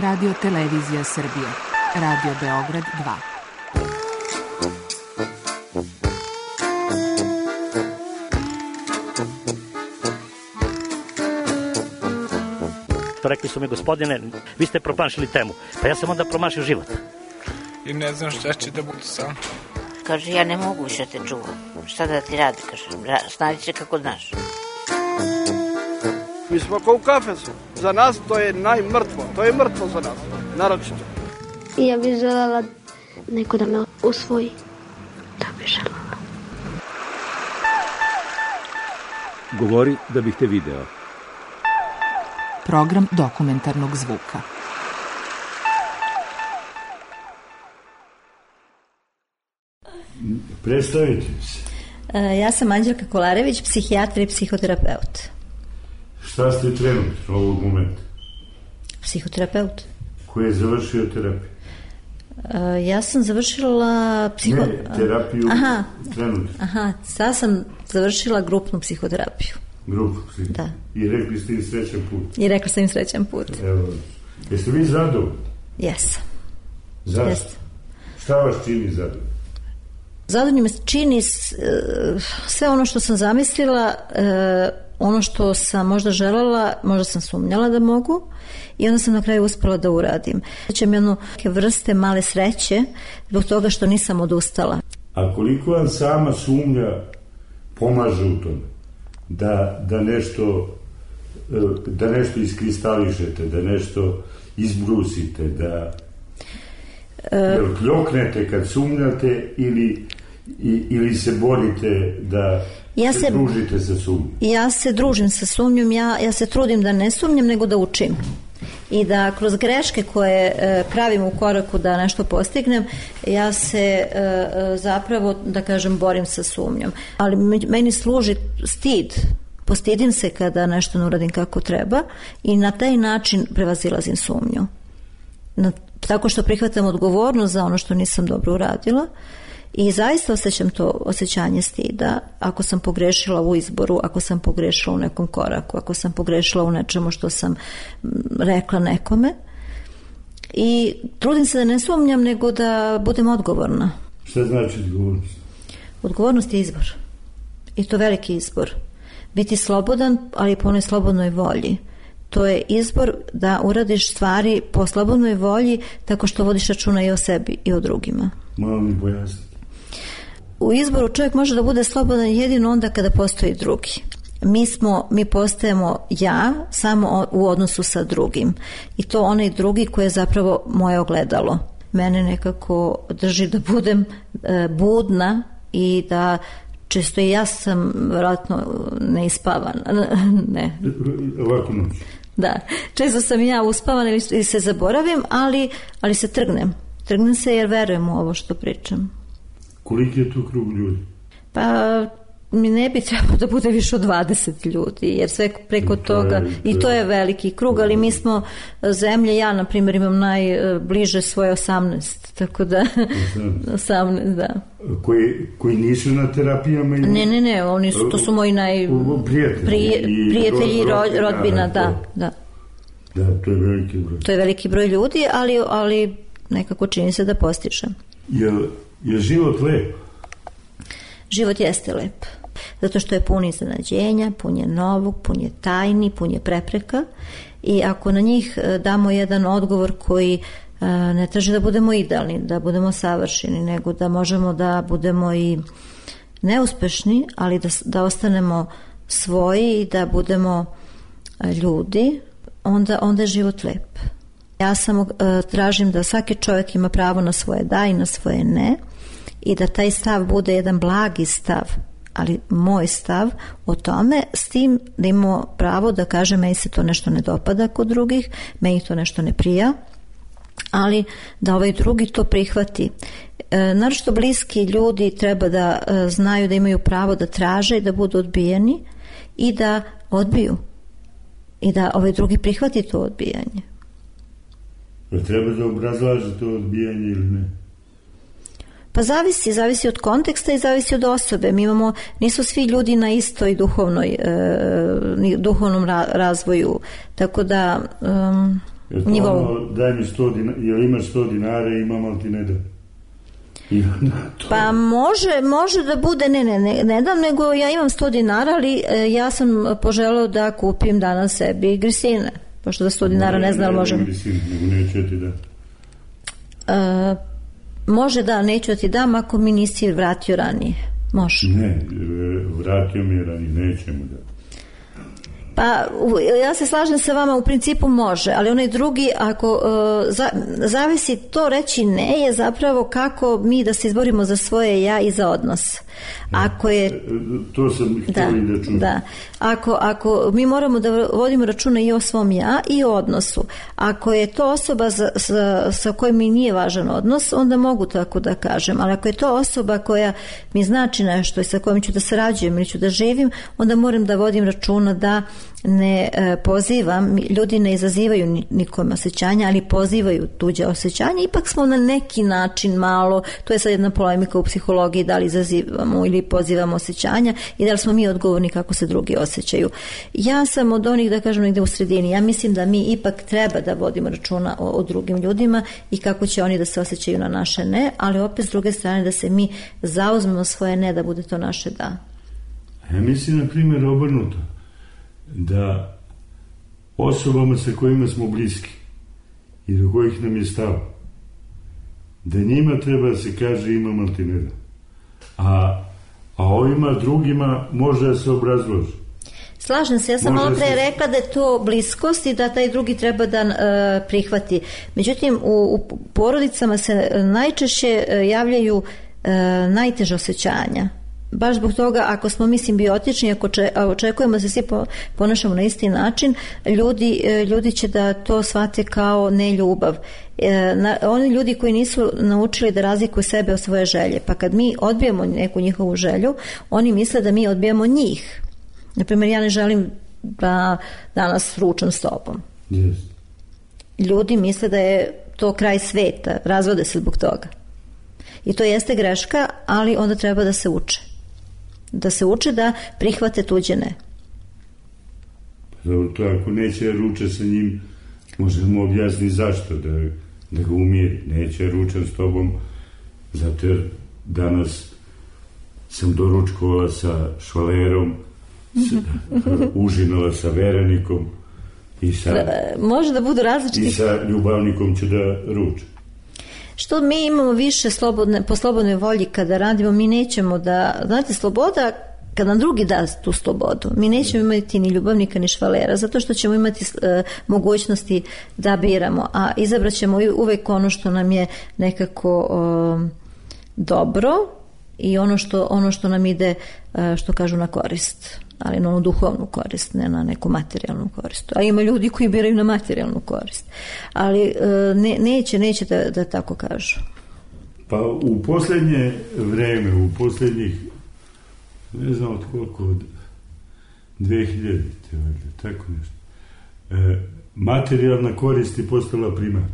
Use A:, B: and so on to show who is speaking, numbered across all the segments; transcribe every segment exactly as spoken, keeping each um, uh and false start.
A: Radio Televizija Srbije, Radio Beograd dva.
B: Rekli su mi, gospodine, vi ste promašili temu. Pa ja sam onda promašio život.
C: I ne znam šta će da bude sam.
D: Kaže, ja ne mogu više te čuvam. Šta da ti radi, kaže, snađi se kako znaš.
E: Mi smo kao u kafesu. Za nas to je najmrtvo. To je mrtvo za nas, naročito.
F: I ja bih želela neko da me usvoji. Da bih želela.
G: Govori da bih te video.
A: Program dokumentarnog zvuka.
H: Predstavite se.
I: Ja sam Anđelka Kolarević, psihijatar i psihoterapeut.
H: Šta ste trenutno ovog momenta?
I: Psihoterapeut.
H: Ko je završio terapiju?
I: Ja sam završila psiho...
H: Ne, terapiju
I: aha,
H: trenutno.
I: Aha, sad sam završila grupnu psihoterapiju.
H: Grupnu psihoterapiju? Da. I rekli ste im srećan put?
I: I rekla sam im srećan put.
H: Evo, jeste vi zadovoljni?
I: Jesam.
H: Zašto?
I: Jesam.
H: Šta vas čini zadovoljni?
I: Zadovoljni me čini sve ono što sam zamislila, ono što sam možda željela, možda sam sumnjala da mogu i onda sam na kraju uspela da uradim. Sjećam jednu vrste male sreće zbog toga što nisam odustala.
H: A koliko vam sama sumnja pomaže u tome da, da nešto da nešto iskristališete, da nešto izbrusite, da jel kljoknete kad sumnjate ili I, ili se borite da
I: ja
H: se,
I: se
H: družite sa sumnjom?
I: Ja se družim sa sumnjom, ja, ja se trudim da ne sumnjam, nego da učim. I da kroz greške koje e, pravim u koraku da nešto postignem, ja se e, zapravo, da kažem, borim sa sumnjom. Ali meni služi stid. Postidim se kada nešto ne uradim kako treba i na taj način prevazilazim sumnju. Na, tako što prihvatam odgovornost za ono što nisam dobro uradila. I zaista osjećam to osjećanje stida ako sam pogrešila u izboru, ako sam pogrešila u nekom koraku, ako sam pogrešila u nečemu što sam rekla nekome. I trudim se da ne sumnjam, nego da budem odgovorna.
H: Šta znači odgovornost?
I: Odgovornost je izbor. I to veliki izbor. Biti slobodan, ali po onoj slobodnoj volji. To je izbor da uradiš stvari po slobodnoj volji tako što vodiš računa i o sebi i o drugima.
H: Malo mi pojasniti.
I: U izboru čovjek može da bude slobodan jedino onda kada postoji drugi. Mi smo, mi postajemo ja samo u odnosu sa drugim. I to onaj drugi koji je zapravo moje ogledalo. Mene nekako drži da budem e, budna i da često i ja sam vjerojatno neispavana. Ne.
H: Ovako noć.
I: Da, često sam ja uspavana ili se zaboravim, ali, ali se trgnem. Trgnem se jer verujem u ovo što pričam.
H: Koliki je tu krug ljudi?
I: Pa mi ne bi trebalo da bude više od dvadeset ljudi, jer sve preko to toga, je, to i to je veliki krug, ali mi smo zemlje, ja na primjer imam najbliže svoje osamnaest, tako da osamnaest, da.
H: Koji, koji nisu na terapijama? Ili...
I: Ne, ne, ne, oni su, to su moji naj...
H: prijatelji,
I: prije, prijatelji i rodbina, rodbina da, da.
H: Da, to je veliki broj.
I: To je veliki broj ljudi, ali, ali nekako čini se da postižem.
H: Je, je život lep?
I: Život jeste lep. Zato što je pun iznenađenja, pun je novog, pun je tajni, pun je prepreka i ako na njih damo jedan odgovor koji ne traži da budemo idealni, da budemo savršeni, nego da možemo da budemo i neuspešni, ali da, da ostanemo svoji i da budemo ljudi, onda, onda je život lep. Ja samo tražim da svaki čovjek ima pravo na svoje da i na svoje ne i da taj stav bude jedan blagi stav, ali moj stav o tome, s tim da imamo pravo da kaže meni se to nešto ne dopada kod drugih, meni to nešto ne prija, ali da ovaj drugi to prihvati. E, naročito bliski ljudi treba da e, znaju da imaju pravo da traže i da budu odbijeni i da odbiju i da ovaj drugi prihvati to odbijanje.
H: Pa treba da obrazlaže to odbijanje ili ne?
I: Pa zavisi, zavisi od konteksta i zavisi od osobe. Mi imamo, nisu svi ljudi na istoj duhovnoj, e, duhovnom ra, razvoju, tako da um, nivou.
H: Ono, daj mi sto dinara, jel imaš sto dinara i imam, ali ti ne da. To...
I: Pa može, može da bude, ne, ne, ne, ne dam, nego ja imam sto dinara, ali e, ja sam poželeo da kupim danas sebi grisine, pošto da sto dinara ne, ne znam, ali možem.
H: Ne, grisine, nego neću ti da.
I: E, može da, neću da ti dam ako mi nisi vratio ranije. Može.
H: Ne, vratio mi je ranije, nećemo da.
I: Pa ja se slažem sa vama, u principu može, ali onaj drugi, ako uh, za, zavisi to reći ne, je zapravo kako mi da se izborimo za svoje ja i za odnos. Ako je,
H: to sam htjeli da, da čujem.
I: Da. Ako, ako mi moramo da vodimo računa i o svom ja i o odnosu. Ako je to osoba za, sa, sa kojom mi nije važan odnos, onda mogu tako da kažem. Ali ako je to osoba koja mi znači nešto i sa kojom ću da sarađujem ili ću da živim, onda moram da vodim računa da ne e, pozivam, ljudi ne izazivaju nikome osjećanja, ali pozivaju tuđe osjećanja. Ipak smo na neki način malo, to je sad jedna polemika u psihologiji, da li izazivamo ili pozivamo osjećanja i da li smo mi odgovorni kako se drugi osjećaju. Ja sam od onih, da kažem, negde u sredini. Ja mislim da mi ipak treba da vodimo računa o, o drugim ljudima i kako će oni da se osjećaju na naše ne, ali opet s druge strane da se mi zauzmemo svoje ne, da bude to naše da.
H: Ja mislim, na primjer, obrnuto, da osobama sa kojima smo bliski i do kojih nam je stalo, da njima treba da se kaže imam, ali ti ne da. A, a ovima drugima može da se obrazloži.
I: Slažem se, ja sam malo pre
H: se...
I: rekla da je to bliskost i da taj drugi treba da uh, prihvati. Međutim, u, u porodicama se najčešće uh, javljaju uh, najteže osjećanja. Baš zbog toga, ako smo mi simbiotični, ako očekujemo da se svi ponašamo na isti način, ljudi, ljudi će da to shvate kao neljubav. Na, oni ljudi koji nisu naučili da razlikuju sebe od svoje želje, pa kad mi odbijemo neku njihovu želju, oni misle da mi odbijamo njih. Naprimjer, ja ne želim da danas ručam s tobom.
H: Yes.
I: Ljudi misle da je to kraj sveta, razvode se zbog toga. I to jeste greška, ali onda treba da se uče. Da se uče da prihvate tuđe ne.
H: Dobro, to ako neće ruče sa njim, možemo objasniti zašto, da, da ga umiri. Neće ručan s tobom, zato jer danas sam doručkovala sa švalerom, s, užinala sa verenikom i sa,
I: može da budu različiti.
H: I sa ljubavnikom ću da ručam.
I: Što mi imamo više slobodne, po slobodnoj volji kada radimo, mi nećemo da, znate, sloboda, kad nam drugi da tu slobodu, mi nećemo imati ni ljubavnika ni švalera, zato što ćemo imati e, mogućnosti da biramo, a izabrat ćemo uvek ono što nam je nekako e, dobro i ono što, ono što nam ide, e, što kažu, na korist, ali na onu duhovnu korist, ne na neku materijalnu korist. A ima ljudi koji biraju na materijalnu korist. Ali ne, neće, neće da, da tako kažu.
H: Pa u posljednje vreme, u posljednjih, ne znam od koliko, od dve hiljade, tako nešto, e, materijalna korist je postala primat.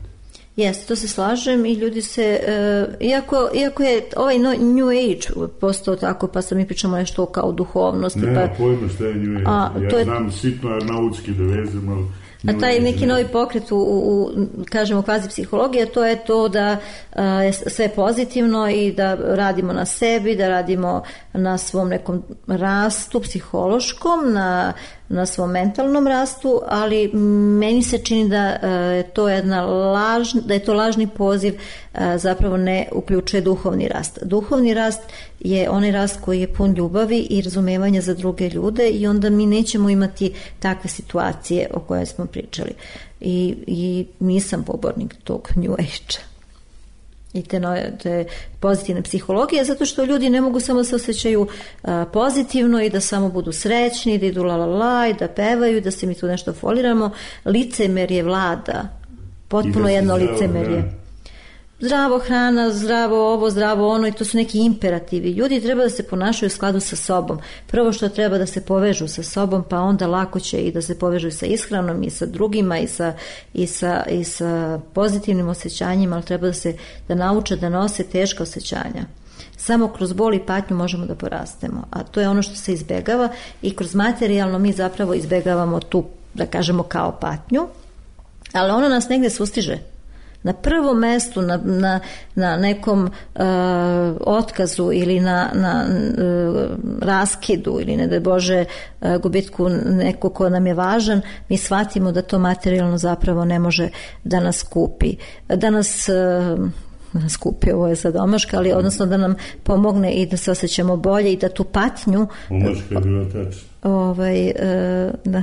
I: Jeste, to se slažem i ljudi se, uh, iako, iako je ovaj no, New Age postao tako, pa sad mi pričamo nešto kao duhovnosti.
H: Ne,
I: pa,
H: pojma šta je New Age. A, ja je, znam sitno nautski da vezem, ali...
I: A taj neki novi pokret u, u kažemo, kvazi psihologije, to je to da uh, je sve pozitivno i da radimo na sebi, da radimo na svom nekom rastu psihološkom, na, na svom mentalnom rastu, ali meni se čini da uh, je to jedna laž, da je to lažni poziv, uh, zapravo ne uključuje duhovni rast. Duhovni rast je onaj rast koji je pun ljubavi i razumevanja za druge ljude i onda mi nećemo imati takve situacije o koje smo pričali. I, i nisam pobornik tog New Age-a i te, nove, te pozitivne psihologije, zato što ljudi ne mogu samo se osjećaju a, pozitivno i da samo budu srećni, da idu la la la i da pevaju, da se mi tu nešto foliramo. Licemerje vlada, potpuno jedno licemerje. Zdravo hrana, zdravo ovo, zdravo ono, i to su neki imperativi. Ljudi treba da se ponašaju u skladu sa sobom. Prvo što treba da se povežu sa sobom, pa onda lako će i da se povežu sa ishranom i sa drugima i sa, i sa, i sa pozitivnim osjećanjima, ali treba da se da nauče da nose teška osjećanja. Samo kroz bol i patnju možemo da porastemo, a to je ono što se izbegava i kroz materijalno mi zapravo izbegavamo tu, da kažemo, kao patnju. ali ono nas negde sustiže. Na prvom mestu, na, na, na nekom uh, otkazu ili na, na uh, raskidu ili ne daj Bože uh, gubitku nekog ko nam je važan, mi shvatimo da to materijalno zapravo ne može da nas kupi. Da nas... Uh, nas kupi, ovo je sad omaška, ali odnosno da nam pomogne i da se osjećamo bolje i da tu patnju
H: omaška je bila tačna.
I: Ovaj, da,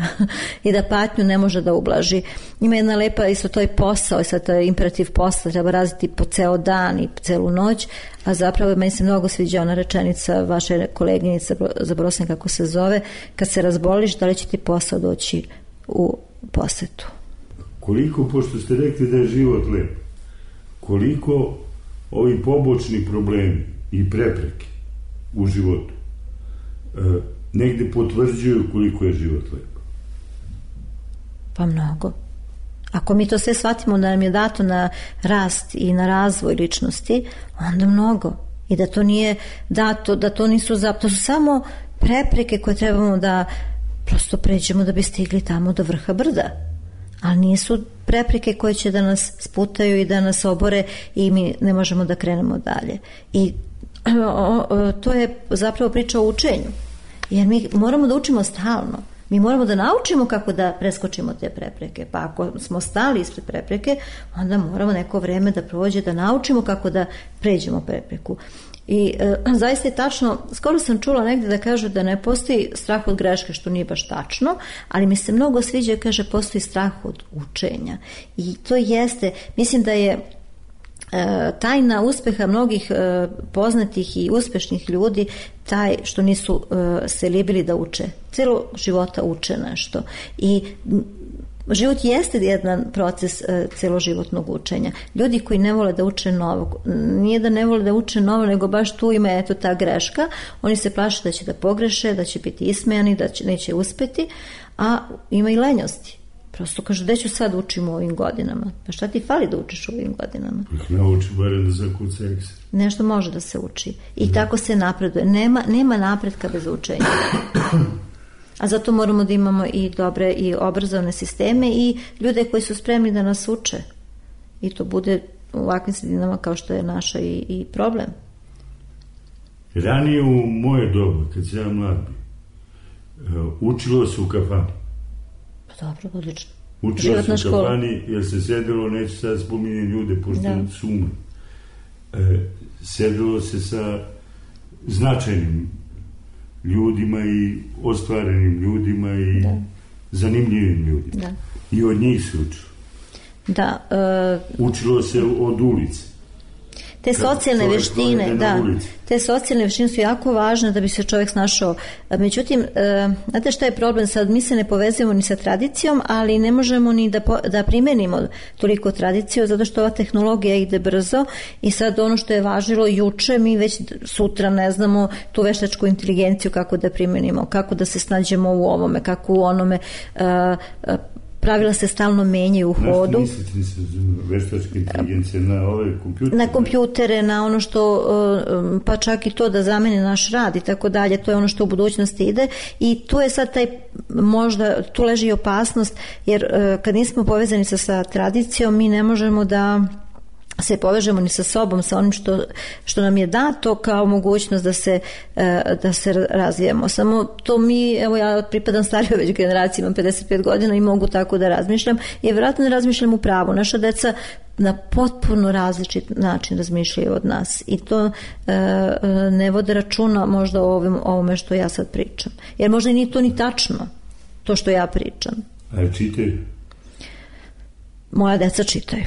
I: i da patnju ne može da ublaži. Ima jedna lepa, isto to je posao, i sad to je imperativ posla, treba raditi po ceo dan i celu noć, a zapravo meni se mnogo sviđa ona rečenica vaše koleginice, zaboravila sam kako se zove, kad se razboliš, da li će ti posao doći u posetu?
H: Koliko, pošto ste rekli da je život lep, koliko ovi pobočni problemi i prepreke u životu e, negde potvrđuju koliko je život lep?
I: Pa mnogo. Ako mi to sve shvatimo da nam je dato na rast i na razvoj ličnosti, onda mnogo. I da to nije dato, da to nisu za, to su samo prepreke koje trebamo da prosto pređemo da bi stigli tamo do vrha brda. Ali nisu prepreke koje će da nas sputaju i da nas obore i mi ne možemo da krenemo dalje. I to je zapravo priča o učenju. Jer mi moramo da učimo stalno. Mi moramo da naučimo kako da preskočimo te prepreke. Pa ako smo stali ispred prepreke, onda moramo neko vreme da prođe da naučimo kako da pređemo prepreku. I e, zaista je tačno, skoro sam čula negde da kažu da ne postoji strah od greške, što nije baš tačno, ali mi se mnogo sviđa, kaže, postoji strah od učenja. I to jeste, mislim da je e, tajna uspeha mnogih e, poznatih i uspešnih ljudi taj što nisu e, se libili da uče. Celo života uče nešto. I život jeste jedan proces e, celoživotnog učenja. Ljudi koji ne vole da uče novo, nije da ne vole da uče novo, nego baš tu ima eto ta greška, oni se plaše da će da pogreše, da će biti ismejani, da će, neće uspeti, a ima i lenjosti. Prosto kažu, gde ću sad učim u ovim godinama? Pa šta ti fali da učiš u ovim godinama?
H: Nauči barem da zakuca ekser.
I: Nešto može da se uči. I da. Tako se napreduje. Nema, nema napretka bez učenja. A zato moramo da imamo i dobre i obrazovne sisteme i ljude koji su spremni da nas uče. I to bude u ovakvim sredinama kao što je naša i, i problem.
H: Ranije u moje doba, kad sam ja mlad bio, učilo se u kafani.
I: Pa dobro, odlično.
H: Učilo Životna se u kafani jer se sedelo, neću sad spominjati ljude, pošto da. su umri. E, sedelo se sa značajnim ljudima i ostvarenim ljudima i da. zanimljivim ljudima. Da. I od njih se učilo.
I: Da. Uh,
H: učilo se od ulice.
I: Te socijalne veštine, da, te socijalne veštine su jako važne da bi se čovjek snašao. Međutim, uh, znate šta je problem? Sad mi se ne povezujemo ni sa tradicijom, ali ne možemo ni da, po, da primenimo toliko tradiciju, zato što ova tehnologija ide brzo i sad ono što je važilo juče, mi već sutra ne znamo tu veštačku inteligenciju kako da primenimo, kako da se snađemo u ovome, kako u onome. Uh, uh, pravila se stalno menjaju u hodu.
H: Znaš ti mislite veštačke inteligencije na ove kompjutere?
I: Na kompjutere, na ono što, pa čak i to da zameni naš rad i tako dalje, to je ono što u budućnosti ide i tu je sad taj, možda, tu leži i opasnost, jer kad nismo povezani sa, sa tradicijom, mi ne možemo da se povežemo ni sa sobom, sa onim što, što nam je dato kao mogućnost da se, da se razvijemo. Samo to mi, evo ja pripadam starijoj već generaciji, imam pedeset pet godina i mogu tako da razmišljam i vjerojatno ne razmišljam u pravu. Naša deca na potpuno različit način razmišljaju od nas i to e, ne vode računa možda o ovim, ovome što ja sad pričam. Jer možda i nije to ni tačno, to što ja pričam.
H: A čitaju?
I: Moja deca čitaju.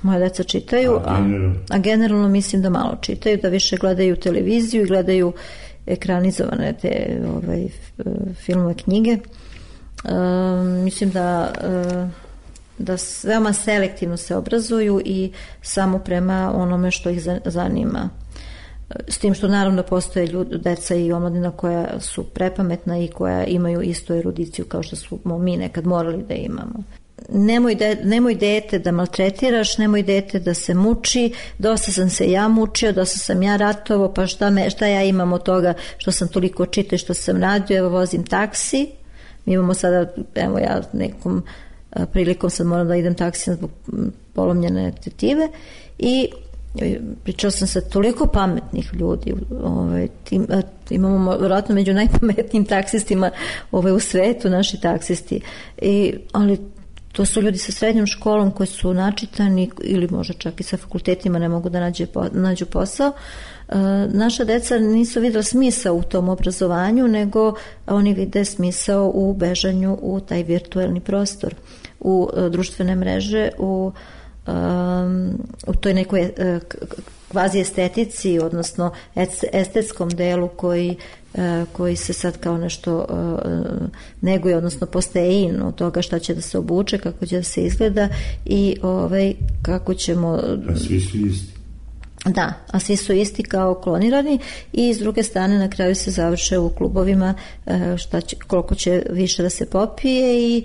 I: Moja deca čitaju, a generalno? a, a generalno mislim da malo čitaju, da više gledaju televiziju i gledaju ekranizovane te ovaj, filmove, knjige. E, mislim da, e, da veoma selektivno se obrazuju i samo prema onome što ih zanima. S tim što naravno postoje ljudi, deca i omladina koja su prepametna i koja imaju istu erudiciju kao što smo mi nekad morali da imamo. Nemoj, de, nemoj dete da maltretiraš, nemoj dete da se muči, dosta sam se ja mučio, dosta sam ja ratovao, pa šta, me, šta ja imam od toga što sam toliko čitao, što sam radio, evo vozim taksi, mi imamo sada, evo ja nekom prilikom sad moram da idem taksijem zbog polomljene tetive i pričala sam sa toliko pametnih ljudi, ovaj, tim, imamo vjerojatno među najpametnijim taksistima ovaj, u svetu, naši taksisti, I, ali to su ljudi sa srednjom školom koji su načitani ili možda čak i sa fakultetima ne mogu da nađe, nađu posao. E, naša deca nisu vidjela smisao u tom obrazovanju, nego oni vide smisao u bežanju u taj virtuelni prostor, u e, društvene mreže, u Um, u toj nekoj uh, kvazi estetici, odnosno estetskom delu koji, uh, koji se sad kao nešto uh, neguje, odnosno postaje in od toga šta će da se obuče, kako će da se izgleda i ovaj, kako ćemo...
H: A svi su isti.
I: Da, a svi su isti kao klonirani i s druge strane na kraju se završe u klubovima uh, šta će, koliko će više da se popije i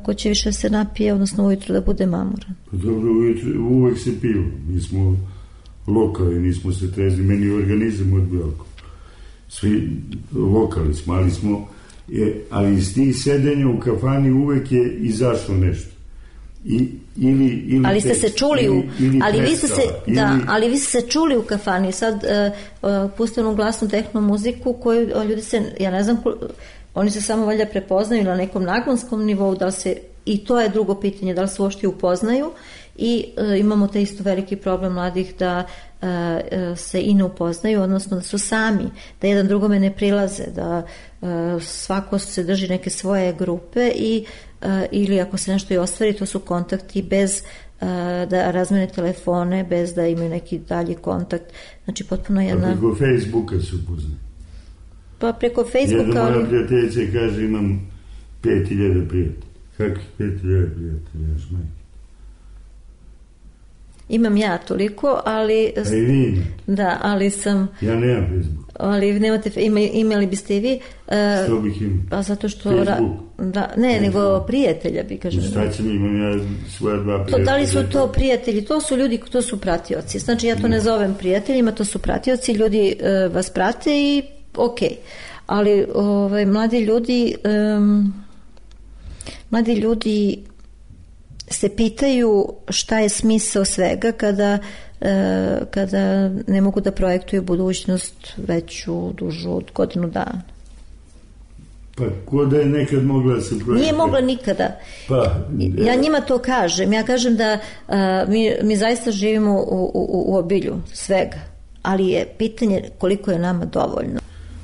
I: ko će više se napije, odnosno ujutru da bude mamuran.
H: Dobro, ujutru, uvek se piju. Mi smo lokali, nismo se trezli, meni organizam odbio alkohol. Svi lokali smo, ali smo, je, ali iz tih sedenja u kafani uvek je izašlo nešto. I, ili, ili
I: ali ste se čuli u,
H: ili,
I: ali
H: ili
I: vi ste se,
H: ili,
I: da, ali vi ste se čuli u kafani, sad uh, uh, pustili u glasnu tehno muziku koju ljudi se, ja ne znam, oni se samo valjda prepoznaju na nekom naglonskom nivou, da li se, i to je drugo pitanje, da li se uopšte upoznaju i e, imamo te isto veliki problem mladih da e, se i ne upoznaju, odnosno da su sami, da jedan drugome ne prilaze, da e, svako se drži neke svoje grupe i e, ili ako se nešto i ostvari, to su kontakti bez e, da razmene telefone, bez da imaju neki dalji kontakt, znači potpuno jedna...
H: A preko Facebooka se upoznaju.
I: Pa preko Facebooka...
H: Jedna moja prijateljica kaže imam pet hiljada prijatelja. Kakvih pet hiljada prijatelja, još majke?
I: Imam ja toliko, ali...
H: A i vi?
I: Da, ali sam...
H: Ja nemam Facebook.
I: Ali nemate, ima, imali biste i vi... Uh,
H: što bih imao?
I: Pa zato što...
H: Facebook?
I: Da, ne, Facebook. Nego prijatelja bi, kažem.
H: Šta će mi, imam ja svoja dva prijatelja.
I: To, da li su to prijatelji? To su ljudi, to su pratioci. Znači ja to ne zovem prijateljima, to su pratioci, ljudi uh, vas prate i ok. Ali ovaj, mladi ljudi... Um, mladi ljudi se pitaju šta je smisao svega kada, e, kada ne mogu da projektuju budućnost veću, dužu od godinu dana.
H: Pa ko da je nekad mogla da se projektuje?
I: Nije mogla nikada.
H: Pa,
I: ja njima to kažem. Ja kažem da a, mi, mi zaista živimo u, u, u obilju svega, ali je pitanje koliko je nama dovoljno.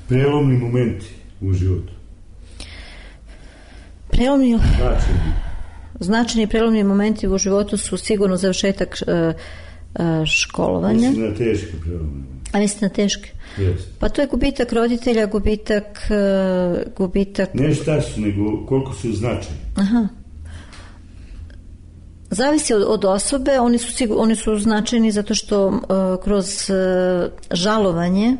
H: Prelomni momenti u životu.
I: Prelomni...
H: Značajni.
I: Značajni prelomni momenti u životu su sigurno završetak uh, uh, školovanja.
H: Mislim na teške prelomne.
I: A mislim na teške?
H: Yes.
I: Pa to je gubitak roditelja, gubitak... Uh, gubitak...
H: Ne šta su, nego koliko su značajni.
I: Aha. Zavisi od, od osobe, oni su, sigur, oni su značajni zato što uh, kroz uh, žalovanje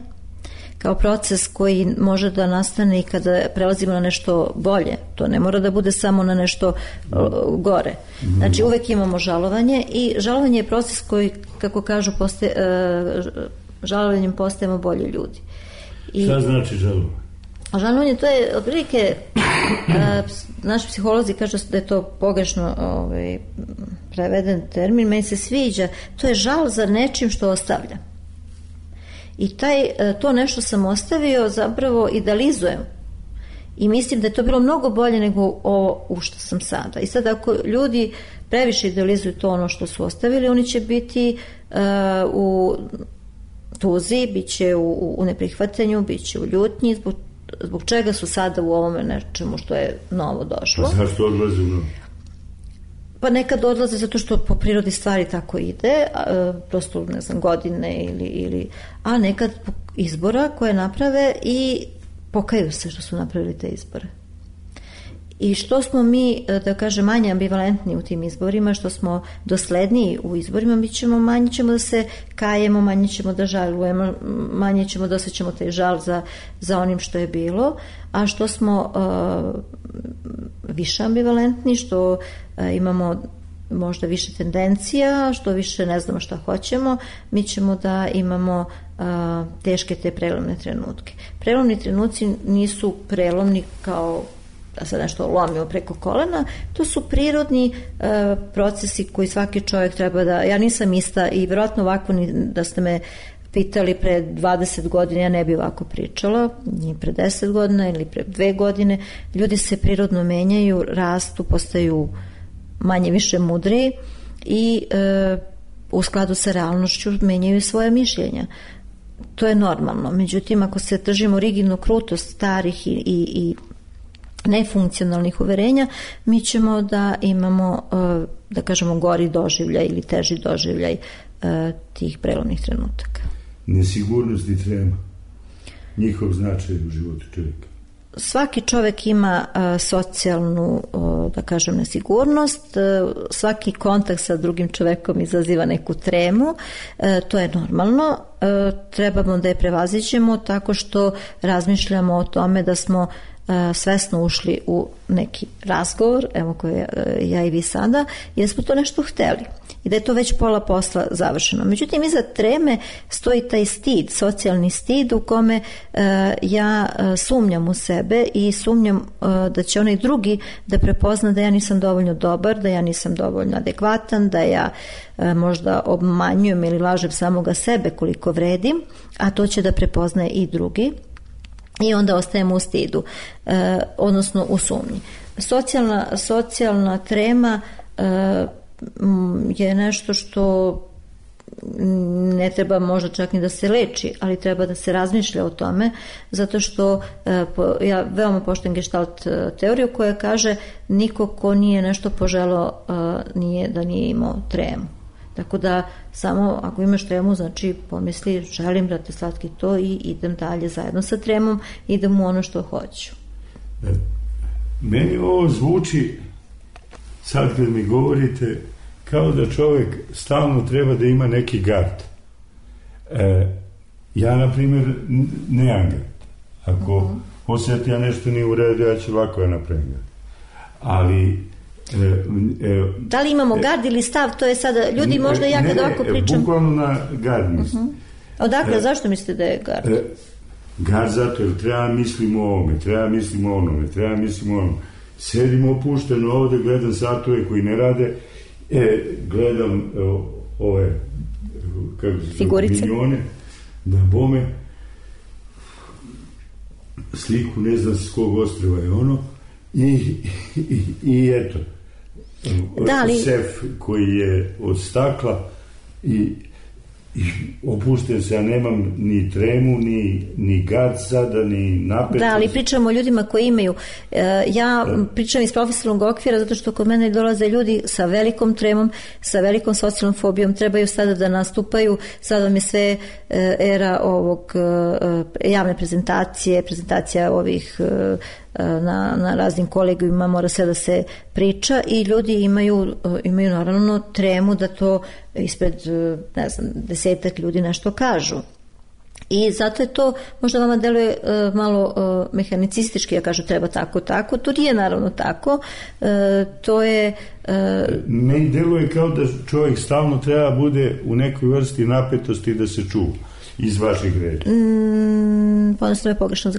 I: kao proces koji može da nastane i kada prelazimo na nešto bolje. To ne mora da bude samo na nešto uh, gore. Znači uvek imamo žalovanje i žalovanje je proces koji, kako kažu, postaje, uh, žalovanjem postajemo bolji ljudi. I
H: šta znači žalovanje?
I: Žalovanje to je otprilike uh, naši psiholozi kažu da je to pogrešno ovaj, preveden termin, meni se sviđa, to je žal za nečim što ostavlja. I taj, to nešto sam ostavio, zapravo idealizujem. I mislim da je to bilo mnogo bolje nego ovo u što sam sada. I sad ako ljudi previše idealizuju to ono što su ostavili, oni će biti uh, u tuzi, bit će u, u neprihvatanju, bit će u ljutnji, zbog, zbog čega su sada u ovome nečemu što je novo došlo.
H: Pa zašto odlaze u novo?
I: Pa nekad odlaze zato što po prirodi stvari tako ide, a, prosto, ne znam, godine ili, ili, a nekad izbora koje naprave i pokaju se što su napravili te izbore. I što smo mi, da kažem, manje ambivalentni u tim izborima, što smo dosledniji u izborima, mi ćemo, manje ćemo da se kajemo, manje ćemo da žalujemo, manje ćemo da osjećamo taj žal za, za onim što je bilo, a što smo uh, više ambivalentni, što uh, imamo možda više tendencija, što više ne znamo šta hoćemo, mi ćemo da imamo uh, teške te prelomne trenutke. Prelomni trenuci nisu prelomni kao da se nešto lomimo preko kolena, to su prirodni e, procesi koji svaki čovjek treba da, ja nisam ista i vjerojatno ovako ni da ste me pitali pre dvadeset godina, ja ne bi ovako pričala, ni pre deset godina ili pre dve godine, ljudi se prirodno menjaju, rastu, postaju manje više mudri i e, u skladu sa realnošću menjaju svoje mišljenja. To je normalno. Međutim, ako se držimo rigidno krutost starih i, i, i nefunkcionalnih uverenja, mi ćemo da imamo, da kažemo, gori doživljaj ili teži doživljaj tih prelomnih trenutaka.
H: Nesigurnost i trema, njihov značaj u životu čovjeka.
I: Svaki čovjek ima a, socijalnu, o, da kažem, nesigurnost, a, svaki kontakt sa drugim čovjekom izaziva neku tremu, a, to je normalno, a, trebamo da je prevaziđemo tako što razmišljamo o tome da smo a, svesno ušli u neki razgovor, evo koje ja i vi sada, i da smo to nešto hteli. I da je to već pola posla završeno. Međutim, iza treme stoji taj stid, socijalni stid u kome uh, ja uh, sumnjam u sebe i sumnjam uh, da će onaj drugi da prepozna da ja nisam dovoljno dobar, da ja nisam dovoljno adekvatan, da ja uh, možda obmanjujem ili lažem samoga sebe koliko vredim, a to će da prepoznaje i drugi. I onda ostajemo u stidu, uh, odnosno u sumnji. Socijalna, socijalna trema uh, je nešto što ne treba možda čak ni da se leči, ali treba da se razmišlja o tome, zato što ja veoma poštujem gestalt teoriju koja kaže niko ko nije nešto poželao nije da nije imao tremu. Tako da samo ako imaš tremu, znači pomisli želim, brate slatki, to i idem dalje zajedno sa tremom, idem u ono što hoću.
H: Meni ovo zvuči, sad kad mi govorite, kao da čovjek stalno treba da ima neki gard. E, ja, na primjer, nemam gard. Ako uh-huh. osjeti ja nešto nije u redu, ja ću lako ja napravim gard. Ali... E, e,
I: da li imamo gard ili stav, to je sada, ljudi možda ja kad ovako pričam...
H: Ne, bukvalno na gard mislim. Uh-huh.
I: Odakle,
H: e,
I: zašto mislite da je gard?
H: E, gard zato jer treba mislimo o ovome, treba mislimo o onome, treba mislimo o onome. Sedim opušteno ovde, gledam satove koji ne rade, e, gledam o, ove kako se
I: figurice,
H: milijone, da bome sliku ne znam s kog ostrva je ono i, i, i eto
I: da li...
H: sef koji je od stakla i i opušten se, ja nemam ni tremu, ni, ni gad sada, ni napetost.
I: Da, ali pričamo o ljudima koji imaju. Ja da. pričam iz profesionalnog okvira zato što kod mene dolaze ljudi sa velikom tremom, sa velikom socijalnom fobijom, trebaju sada da nastupaju, sada vam je sve era ovog javne prezentacije, prezentacija ovih na, na raznim kolegijima, mora sve da se priča i ljudi imaju, imaju naravno tremu da to ispred, ne znam, desetak ljudi nešto kažu. I zato je to, možda vama deluje uh, malo uh, mehanicistički, ja kažu treba tako, tako, to nije naravno tako, uh, to je... Uh,
H: Meni deluje kao da čovjek stalno treba bude u nekoj vrsti napetosti da se čuva iz vaših reči.
I: Mm, ponosno je pogrešno.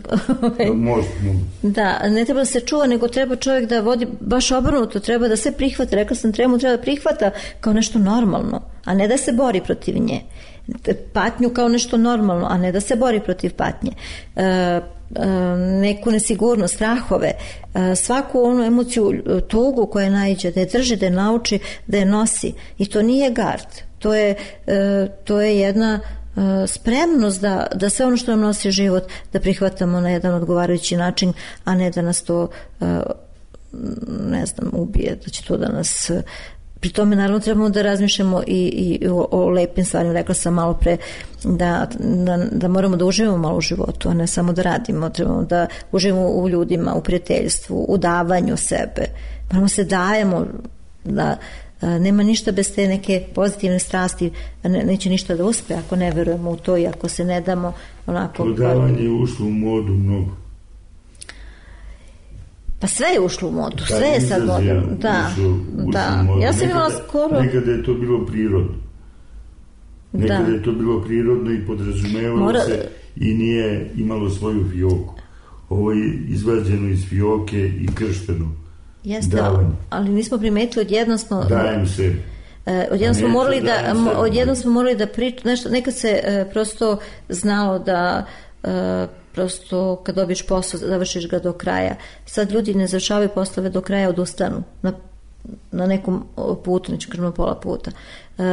H: Možda, možda.
I: Da, ne treba da se čuva, nego treba čovjek da vodi baš obrnuto, treba da se prihvata, rekla sam tremu, treba da prihvata kao nešto normalno, a ne da se bori protiv nje. Patnju kao nešto normalno, a ne da se bori protiv patnje. E, e, neku nesigurnost, strahove, e, svaku onu emociju, tugu koja naiđe, da je drži, da je nauči, da je nosi. I to nije gard. To je, e, to je jedna e, spremnost da, da sve ono što nam nosi život da prihvatamo na jedan odgovarajući način, a ne da nas to e, ne znam, ubije, da će to da nas... Pri tome naravno trebamo da razmišljamo i, i o, o lepim stvarima, rekla sam malo pre da, da, da moramo da uživamo malo u životu, a ne samo da radimo, trebamo da uživamo u ljudima, u prijateljstvu, u davanju sebe, moramo se dajemo, da a, nema ništa bez te neke pozitivne strasti, ne, neće ništa da uspe ako ne verujemo u to i ako se ne damo onako...
H: To davanje je ušlo u modu mnogo.
I: Pa sve je ušlo u modu, sve je sad modno. Da, da. Ja sam imala skoro...
H: Nekada je to bilo prirodno. Nekada da. je to bilo prirodno i podrazumevalo Mora... se i nije imalo svoju fioku. ovo je izvađeno iz fioke i kršteno.
I: Jeste, davanje. Ali nismo primetili, odjednom smo...
H: Dajem se.
I: Odjednom smo morali da, odjednom smo morali da pričamo, nešto, nekad se uh, prosto znalo da uh, prosto kad dobiješ posao, završiš ga do kraja. Sad ljudi ne završavaju poslove do kraja, odustanu na, na nekom putu, neću kažem na pola puta. Uh,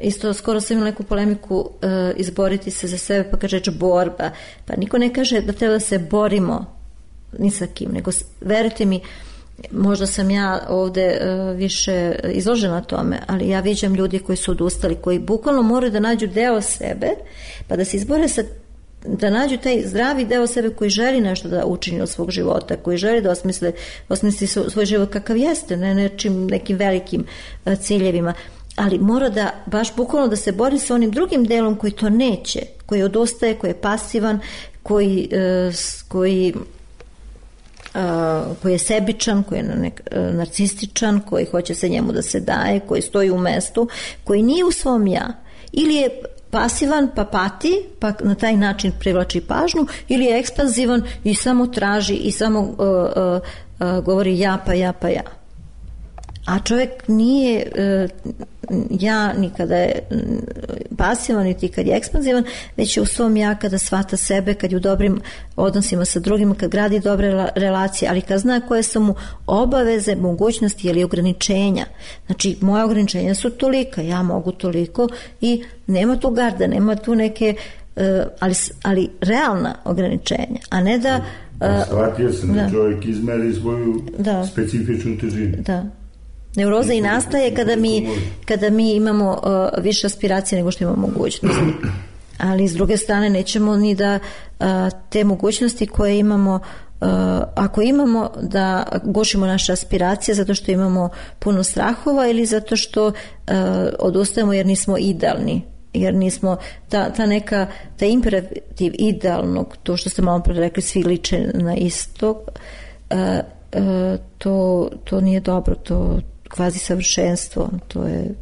I: isto skoro sam imala neku polemiku uh, izboriti se za sebe, pa kaže borba. Pa niko ne kaže da treba da se borimo ni sa kim, nego verujte mi, možda sam ja ovde uh, više izložena tome, ali ja viđam ljudi koji su odustali, koji bukvalno moraju da nađu deo sebe, pa da se izbore sa, da nađu taj zdravi deo sebe koji želi nešto da učini od svog života, koji želi da osmisli, osmisli svoj život kakav jeste, ne nečim, nekim velikim uh, ciljevima, ali mora da baš bukvalno da se bori sa onim drugim delom koji to neće, koji odustaje, koji je pasivan, koji, uh, koji Uh, koji je sebičan, koji je nek, uh, narcističan, koji hoće se njemu da se daje, koji stoji u mestu, koji nije u svom ja. Ili je pasivan pa pati, pa na taj način privlači pažnju, ili je ekspanzivan i samo traži i samo uh, uh, uh, govori ja pa ja pa ja. A čovjek nije uh, ja ni kada je pasivan, niti kad je ekspanzivan, već je u svom ja kada shvata sebe, kad je u dobrim odnosima sa drugima, kad gradi dobre relacije, ali kad zna koje su mu obaveze, mogućnosti ili ograničenja. Znači, moje ograničenja su tolika, ja mogu toliko i nema tu garda, nema tu neke, uh, ali, ali realna ograničenja, a ne da... Uh,
H: Shvatio sam da, da čovjek izmeri svoju da. specifičnu težinu.
I: Da. Neuroza i nastaje kada mi, kada mi imamo uh, više aspiracije nego što imamo mogućnosti. Ali s druge strane nećemo ni da uh, te mogućnosti koje imamo, uh, ako imamo, da gušimo naše aspiracije zato što imamo puno strahova ili zato što uh, odustajemo jer nismo idealni. Jer nismo, ta, ta neka, ta imperativ idealnog, to što ste malo pre rekli, svi liče na isto, uh, uh, to, to nije dobro, to kvazi savršenstvo, to je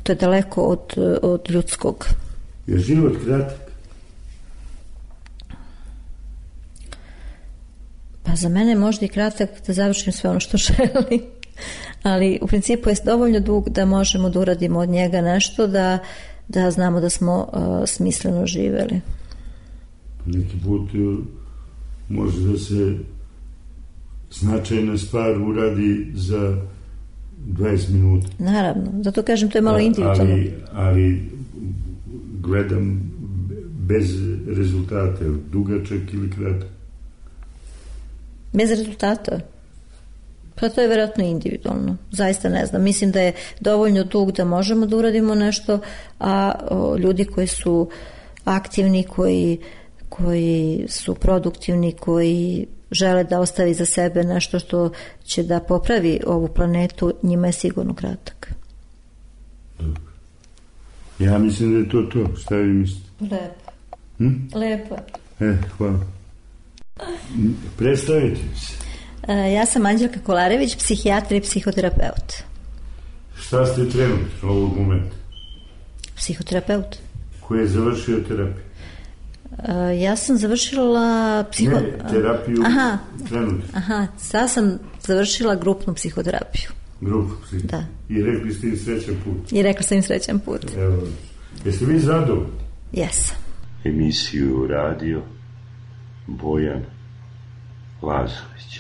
I: to je daleko od, od ljudskog.
H: Je život kratak?
I: Pa za mene je možda i kratak da završim sve ono što želim, ali u principu je dovoljno dug da možemo da uradimo od njega nešto, da, da znamo da smo uh, smisleno živeli.
H: Neki put može da se značajna stvar uradi za dvadeset minuta.
I: Naravno, zato kažem, to je malo individualno.
H: Ali, ali gledam bez rezultata, dugačak ili kratak.
I: Bez rezultata? Pa to je vjerojatno individualno. Zaista ne znam. Mislim da je dovoljno dug da možemo da uradimo nešto, a o, ljudi koji su aktivni, koji, koji su produktivni, koji žele da ostavi za sebe nešto što će da popravi ovu planetu, njima je sigurno kratak.
H: Dobro. Ja mislim da je to to. Šta vi mislite?
I: Lepo.
H: Hm?
I: Lepo.
H: E, hvala. Predstavite se.
I: E, ja sam Anđelka Kolarević, psihijatra i psihoterapeut.
H: Šta ste trenutno ovog momenta?
I: Psihoterapeut.
H: Ko je završio terapiju?
I: Uh, ja sam završila psiho...
H: Ne, terapiju
I: aha,
H: trenutno.
I: Aha, sad sam završila grupnu psihoterapiju.
H: Grupnu psihoterapiju?
I: Da.
H: I rekli ste im srećan put?
I: I rekla sam im srećan put.
H: Evo, jeste vi zadovoljni?
I: Jesam.
J: Emisiju radio Bojan Lazović.